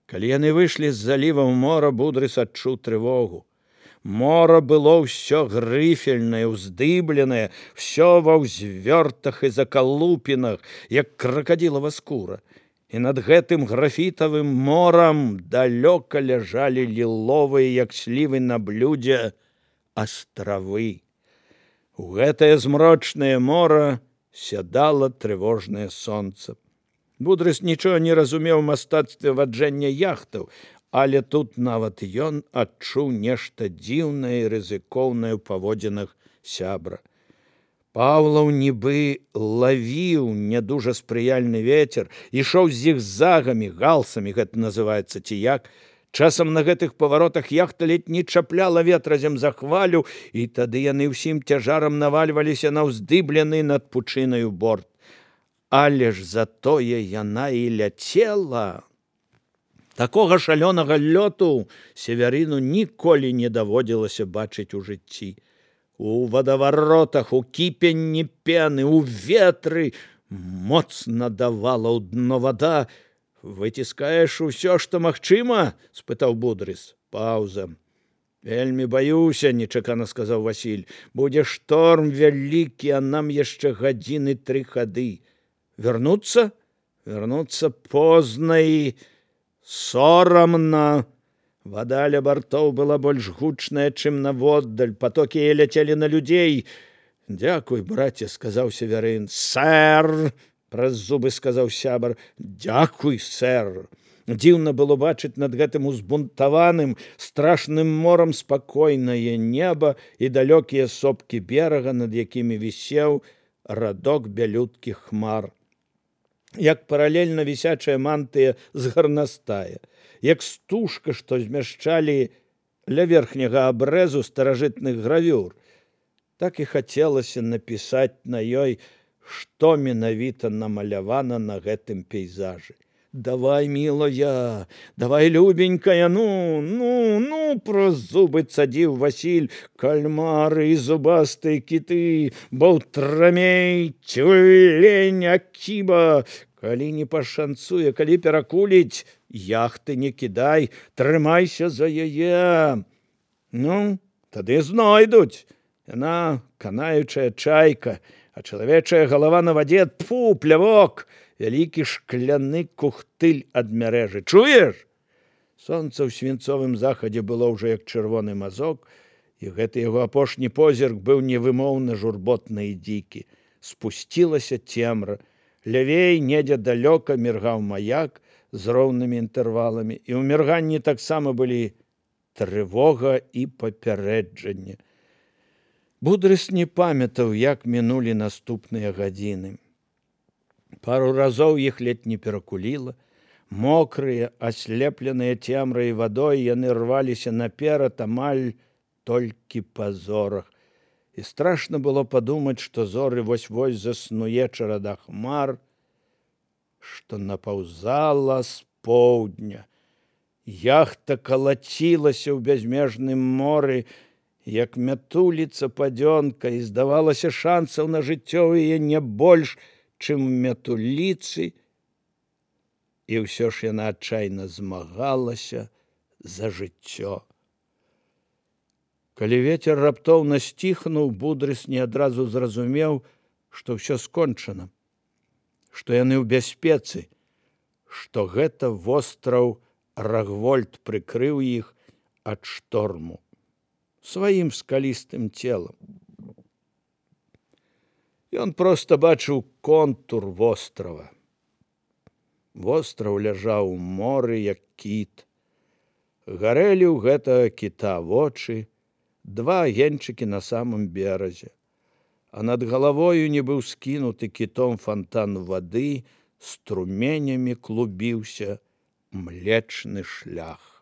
Калі яны выйшлі з заліва ў мора, Будрыс адчуў трывогу. Мора было ўсё грыфельнае, уздыбленае, всё ва ўзвёртах і закалупінах, як кракадзілава скура. І над гэтым графітавым морам далёка ляжалі ліловыя, як слівы на блюдзе, астравы. У гэтае змрочнае мора сядала трывожнае сонца. Будрыс нічога не разумеў у мастацтве ваджэння яхтаў, але тут нават ён адчуў нешта дзіўнае і рызыкоўнае ў паводзінах сябра. Паўлаў нібы лавіў не дужа спрыяльны вецер, ішоў зігзагамі, галсамі гэта называецца ці як. Часам на гэтых паваротах яхта ледзь не чапляла ветразем за хвалю, і тады яны ўсім цяжарам навальваліся на ўздыблены над пучынаю борт. Але ж затое яна і ляцела. Такога шалёнага лёту Севярыну ніколі не даводзілася бачыць у жыцці. У вадаваротах, у кіпенні пены, у ветры моцна давала ў дно вада. «Выціскаеш усё, што магчыма?» – спытаў Будрыс. Паўза. «Вельмі баюся», – нечакана сказаў Васіль. «Будзе шторм вялікі, а нам яшчэ гадзіны 3 хады. Вярнуцца? Вярнуцца позна і сорамна». Вада ля бартоў была больш гучная, чым наводдаль. Патокі ляцелі на людзей. «Дзякуй, браце», – сказаў Севярын. «Сэр!» – праз зубы сказаў сябар. «Дзякуй, сэр!» Дзіўна было бачыць над гэтым узбунтаваным, страшным морам спакойнае неба і далёкія сопкі берага, над якімі вісеў радок бялюткіх хмар. Як паралельна вісячая мантыя з гарнастая, як стужка, што змяшчалі ля верхняга абрэзу старажытных гравюр. Так і хацелася напісаць на ёй, што менавіта намалявана на гэтым пейзажы. «Давай, мілая, давай, любенькая, ну, праз зубы цадзіў Васіль. Кальмары і зубастыя кіты, баўтрамей, цюлень, акіба. Калі не пашанцуе, калі перакуліць, яхты не кідай, трымайся за яе. Ну, тады знойдуць. Яна канаючая чайка, а чалавечая галава на вадзе, тфу, плявок, вялікі шкляны кухтыль ад мярэжы. Чуеш?» Сонца ў свінцовым захадзе было ўжо як чырвоны мазок, і гэты яго апошні позірк быў невымоўна журботны і дзікі. Спусцілася цемра. Лявей, недзе далёка, міргаў маяк з роўнымі інтэрваламі, і ў мірганні таксама былі трывога і папярэджанне. Будрыс не памятаў, як мінулі наступныя гадзіны. Пару разоў іх ледзь не перакуліла. Мокрыя, аслепленыя цемрай і вадой, яны рваліся наперад амаль толькі па зорах. І страшна было падумаць, што зоры вось-вось заснуе чарада хмар, што напаўзала з поўдня. Яхта калацілася ў бязмежным моры, як мятуліца падзёнка, і здавалася, шансаў на жыццё ў яе не больш, чым мятуліцы, і ўсё ж яна адчайна змагалася за жыццё. Калі вецер раптоўна сціхнуў, Будрыс не адразу зразумеў, што ўсё скончана, што яны ў бяспецы, што гэта востраў Рагвольд прыкрыў іх ад шторму сваім скалістым целам. Ён проста бачыў контур вострава. Востраў ляжаў у моры, як кіт. Гарэлі ў гэтага кіта вочы, 2 агеньчыкі на самым беразе, а над галавою нібы ўскінуты кітом фонтан вады струменямі клубіўся Млечны шлях.